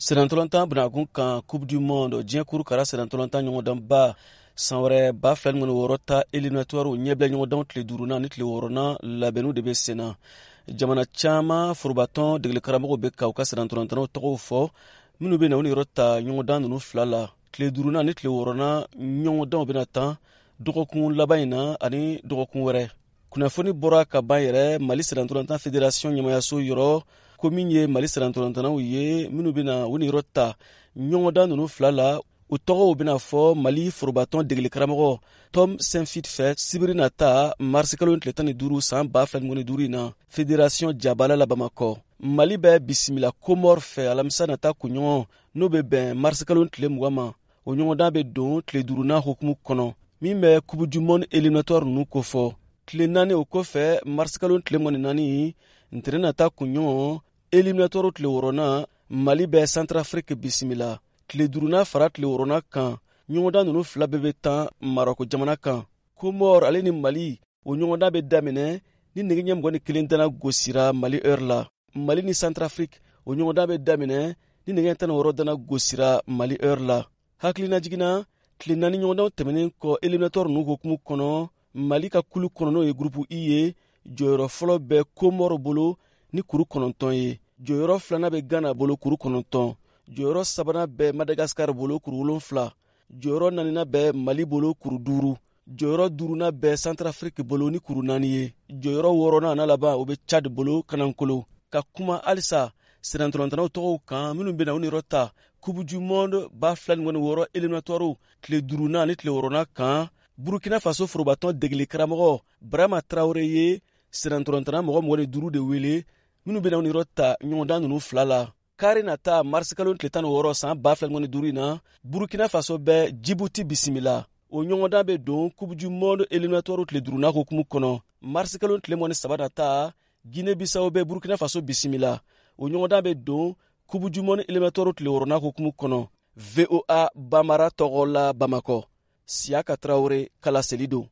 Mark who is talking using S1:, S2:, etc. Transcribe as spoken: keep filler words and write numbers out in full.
S1: Sennantolatan bunakun kan, Coupe du monde, diɲɛ kuru kara sennantolatan ɲɔgɔndanba san wɛrɛ ba fila ni wɔɔrɔ ta éliminatoire ɲɛbila ɲɔgɔndanw tile duurunan ni tile wɔɔrɔnan labɛnniw de bɛ sen na. Jamana caman forobatɔn degeli karamɔgɔw bɛ ka u ka sennantolatannaw tɔgɔw fɔ minnu bɛ na u niyɔrɔ ta ɲɔgɔndan ninnu fila la. Tile duurunan ni tile wɔɔrɔnan ɲɔgɔndanw bɛna tan dɔgɔkun laban in na ani dɔgɔkun wɛrɛ. Kunnafoni bɔra ka ban yɛrɛ Mali sennantolatan fédération ɲɛmayaso yɔrɔ ko min ye Mali sennantolatannaw ye minnu bɛna u niyɔrɔ ta ɲɔgɔndan ninnu fila la, u tɔgɔw bɛna fɔ Mali forobatɔn degeli karamɔgɔ Tom Saintfiet fɛ sibiri nata, marisikalo tile tan ni duuru san ba fila ni duuru in na, fédération jabala la Bamakɔ. Mali bɛ bisimila Komɔr fɛ alamisa nata kunɲɔgɔn, n'o bɛ bɛn marisikalo tile mugan ma. O ɲɔgɔndan bɛ don tile duurunan hukumu kɔnɔ min bɛ Coupe du monde éliminatoire ninnu kofɔ. Tile naani o kɔfɛ, marisikalo tile mugan ni naani, ntɛnɛn nata kunɲɔgɔn, éliminatoire tile wɔɔrɔnan, Mali bɛ Centrafrique bisimila. Tile duurunan fara tile wɔɔrɔnan kan, ɲɔgɔndan ninnu fila bɛɛ bɛ tan Marɔko jamana kan. Komɔr ale ni Mali, o ɲɔgɔndan bɛ daminɛ ni nɛgɛ ɲɛ mugan ni kelen dana gosira Mali heure la. Mali ni Centrafrique, o ɲɔgɔndan bɛ daminɛ ni nɛgɛ tan ni wɔɔrɔ dana gosira Mali heure la. Hakilina jiginna, tile naani ɲɔgɔndanw tɛmɛnen kɔ éliminatoire ninnu hukumu kɔnɔ, Mali ka kulu kɔnɔ, n'o ye groupe I ye, jɔyɔrɔ fɔlɔ bɛ Komɔrɔ bolo ni kuru kɔnɔntɔn ye. Jɔyɔrɔ filanan bɛ Gana bolo, kuru kɔnɔntɔn. Jɔyɔrɔ sabanan bɛ Madagasikar bolo, kuru wolonfila. Jɔyɔrɔ naaninan bɛ Mali bolo, kuru duuru. Jɔyɔrɔ duurunan bɛ Centrafrique bolo ni kuru naani ye. Jɔyɔrɔ wɔɔrɔnan n'a laban, o bɛ Chad bolo kanankolo. Ka kuma halisa sennantolatannaw tɔgɔw kan minnu bɛna u niyɔrɔ ta Coupe du monde ba fila ni wɔɔrɔ éliminatoire tile duurunan ni tile wɔɔrɔnan kan, Burukina Faso forobatɔn degeli karamɔgɔ Barama Tarawele ye sennantolatanna mɔgɔ mugan ni duuru de wele minnu bɛna u niyɔrɔ ta ɲɔgɔndan ninnu fila la. Kari nata, marisikalo tile tan ni wɔɔrɔ san ba fila ni duuru in na, Burukina Faso bɛ Jibuti bisimila. O ɲɔgɔndan bɛ don Coupe du monde éliminatoire tile duurunan hukumu kɔnɔ. Marisikalo tile mugan ni saba nata, Guinée Bissau bɛ Burukina Faso bisimila. O ɲɔgɔndan bɛ don Coupe du monde éliminatoire tile wɔɔrɔnan hukumu kɔnɔ. V O A Bambara tɔgɔ la Bamakɔ, Siyaka Tarawele kalaseli don.